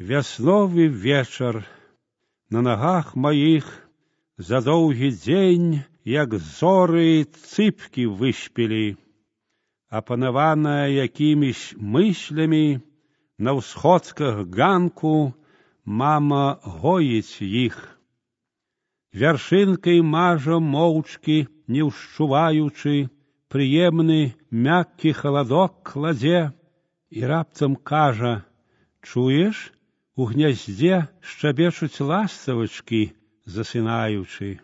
Вясновы вечар, на нагах маіх за доўгі дзень, як зоры цыпкі выспелі, апанаваная якімісь мыслямі, на ўсходках ганку мама гоіць іх. Вяршынкай мажа моўчкі, не ўшчуваючы, прыемны мяккі халадок кладзе і раптам кажа: чуеш, у гняздзе шчабечуць ластаўачкі, засынаючы.